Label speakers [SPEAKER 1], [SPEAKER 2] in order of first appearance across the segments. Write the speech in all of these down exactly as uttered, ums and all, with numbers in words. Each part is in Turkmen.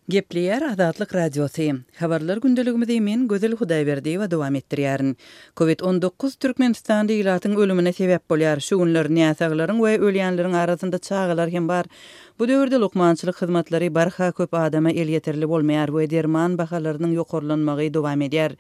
[SPEAKER 1] Gepleýär Azatlyk Radiosy. Habarlar gündeligimizi men Gözel Hudaýberdiýewa dowam etdirýärin. Covid on dokuz Türkmenistanda ilatyň ölümine sebäp bolýar. Şu günler näsaglaryň we ölýänleriň arasynda çagalar hem bar. Bu döwürde lukmançylyk hyzmatlary barha köp adama elýeterli bolmaýar we derman bahalarynyň ýokarlanmagy dowam edýär.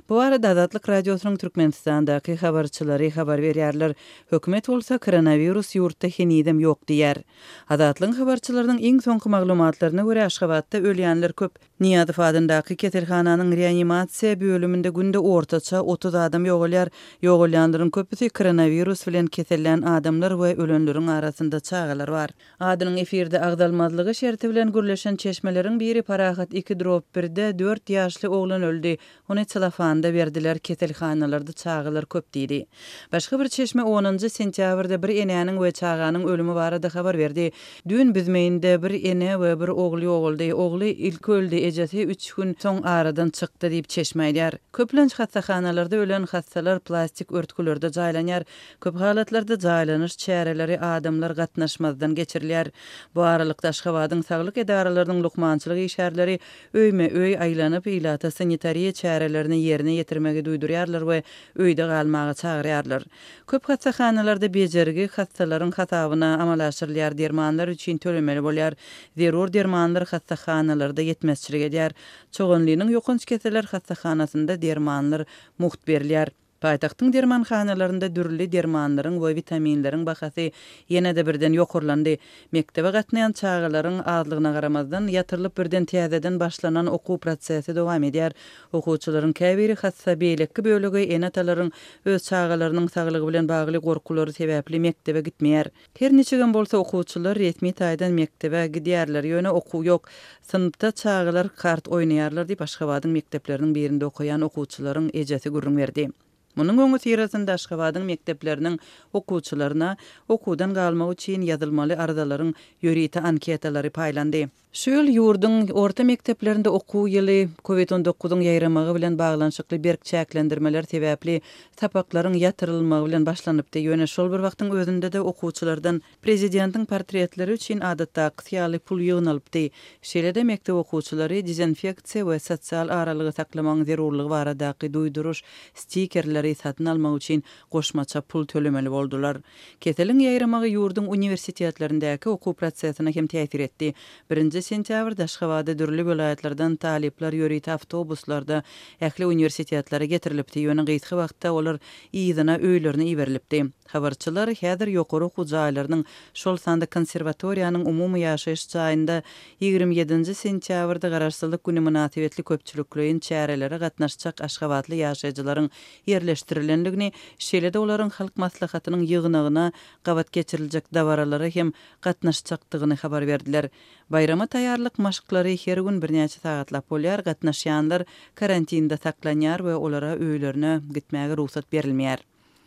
[SPEAKER 1] Bu barada Azatlyk Radiosynyň Türkmenistandaky habarçylary habar berýärler. Hökümet bolsa koronawirus ýurtda henizem ýok diýýär. Azatlygyň habarçylarynyň iň soňky maglumatlaryna görä, Aşgabatda ölýänler köp. Nyýazow adyndaky keselhananyň reanimasiýa bölüminde günde ortaça otuz adam ýogalýar. Ýogalýanlaryň köpüsi koronawirus bilen kesellän adamlar we ölenleriň arasynda çagalar bar. Adynyň efirde agzalmazlygy şerti bilen gürleşen çeşmeleriň biri Parahat iki drop birde dört ýaşly oglan öldi. Ony celofanda berdiler, keselhanalarda çagalar köp diýdi. Başga bir çeşme onunjy sentýabrda bir enäniň we çaganyň ölümi barada habar berdi. Düýn Büzmeýinde bir ene we bir ogul ýogaldy. Ogly ilki öldi, ejesi üç gün soň aradan çykdy diýip çeşme aýdýar. Köplenç hassahanalarda ölen hassalar plastik örtgülerde jaýlanýar. Köp halatlarda jaýlanyş çäreleri adamlar gatnaşmazdan geçirilýär. Bu aralykda Aşgabadyň saglyk edaralarynyň lukmançylyk işgärleri öýme-öý aýlanyp, ilata sanitariýa çärelerini ýerine ýetirmegi duýdurýarlar we öýde galmaga çagyrýarlar. Köp hassahanalarda bejergi hassalaryň hasabyna amala aşyrylýar, dermanlar üçin tölemeli bolýar. Zerur dermanlar hassahanalarda ýetmezçilik edýär. Çoganlynyň ýokanç keseller hassahanasynda dermanlar mugt berilýär. Paýtagtyň dermanhanalarynda dürli dermanlaryň we witaminleriň bahasy ýene-de birden ýokarlandy. Mekdebe gatnaýan çagalaryň azlygyna garamazdan, ýatyrylyp birden täzeden başlanan okuw prosesi dowam edýär. Okuwçylaryň käbiri hassa beýleki bölegi ene-atalaryň öz çagalarynyň saglygy bilen bagly gorkulary sebäpli mekdebe gitmeýär. Her niçigem bolsa okuwçylar resmi taýdan mekdebe gidýärler, ýöne okuw ýok. Synpda çagalar kart oýnaýarlar diýip Aşgabadyň mekdepleriniň birinde okaýan okuwçylaryň ejesi gürrüň berdi. Munuň öňüsyrasynda Aşgabadyň mekdepleriniň okuwçylaryna okuwdan galmak üçin ýazylmaly arzalaryň ýörite anketalary paýlandy. Şu ýyl ýurduň orta mekdeplerinde okuw ýyly Covid on dokuzyň ýaýramagy bilen baglanyşykly berk çäklendirmeler sebäpli sapaklaryň ýatyrylmagy bilen başlanypdy. Ýöne şol bir wagtyň özünde-de okuwçylardan prezidentiň portretleri üçin adatdaky ýaly pul ýygnalypdy. Şeýle-de mekdep okuwçylary dezinfeksiýa we sosial aralygy saklamagyň zerurlygy baradaky duýduryş stikerleri satyn almak üçin goşmaça pul tölemeli boldular. Keseliň ýaýramagy ýurduň uniwersitetlerindäki okuw prosesine hem täsir etdi. Birinji sentýabrda Aşgabatda dürli welaýatlardan talyplar ýörite awtobuslarda ähli uniwersitetlere getirilipdi. Ýöne gysga wagtda olar yzyna öýlerine iberilipdi. Habarçylar häzir ýokary okuw jaýlarynyň, şol sanda konserwatoriýanyň umumy ýaşaýyş jaýynda ýigrimi ýedinji sentýabrda Garaşsyzlyk güni mynasybetli köpçülikleýin çärelere gatnaşjak aşgabatly ýaşaýjylaryň ýerleşdirilendigini, şeýle-de olaryň halk maslahatynyň ýygnagyna gabat geçiriljek dabaralara hem gatnaşjakdygyny habar berdiler. Baýrama taýýarlyk maşklary her gün birnäçe sagatlap bolýar, gatnaşýanlar karantinda saklanýar we olara öýlerine gitmäge rugsat berilmeýär.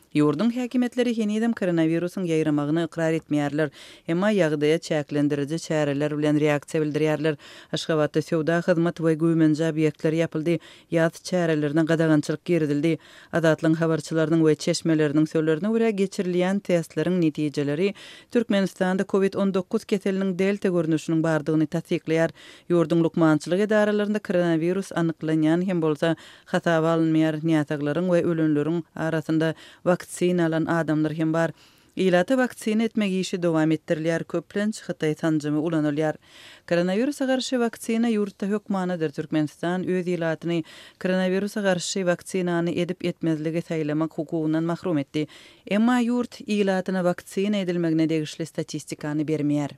[SPEAKER 1] Ýurduň häkimiýetleri henizem koronawirusyň ýaýramagyny ykrar etmeýärler, emma ýagdaýa çäklendiriji çäreler bilen reaksiýa bildirýärler. Aşgabatda söwda, hyzmat we güýmenje obýektleri ýapyldy, ýaz çärelerine gadagançylyk girizildi. Azatlygyň habarçylarynyň we çeşmeleriniň sözlerine görä geçirilýän testleriň netijeleri Türkmenistanda Covid on dokuz keseliniň delta görnüşiniň bardygyny tassyklaýar. Ýurduň lukmançylyk edaralarynda koronawirus anyklanýan hem bolsa hasaba alynmaýar. Näsaglaryň we ölenleriň arasynda waksina alan adamlar hem bar. Ilata waksina etmek işi dowam etdirilýär, köplenç Hytaý sanjymy ulanylýar. Koronawirusa garşy waksina ýurtda hökmanydyr. Türkmenistan öz ilatyny koronawirusa garşy waksinany edip etmezligi saýlamak hukugyndan mahrum etdi. Emma ýurt ilatyna waksina edilmegine degişli statistikany bermeýär.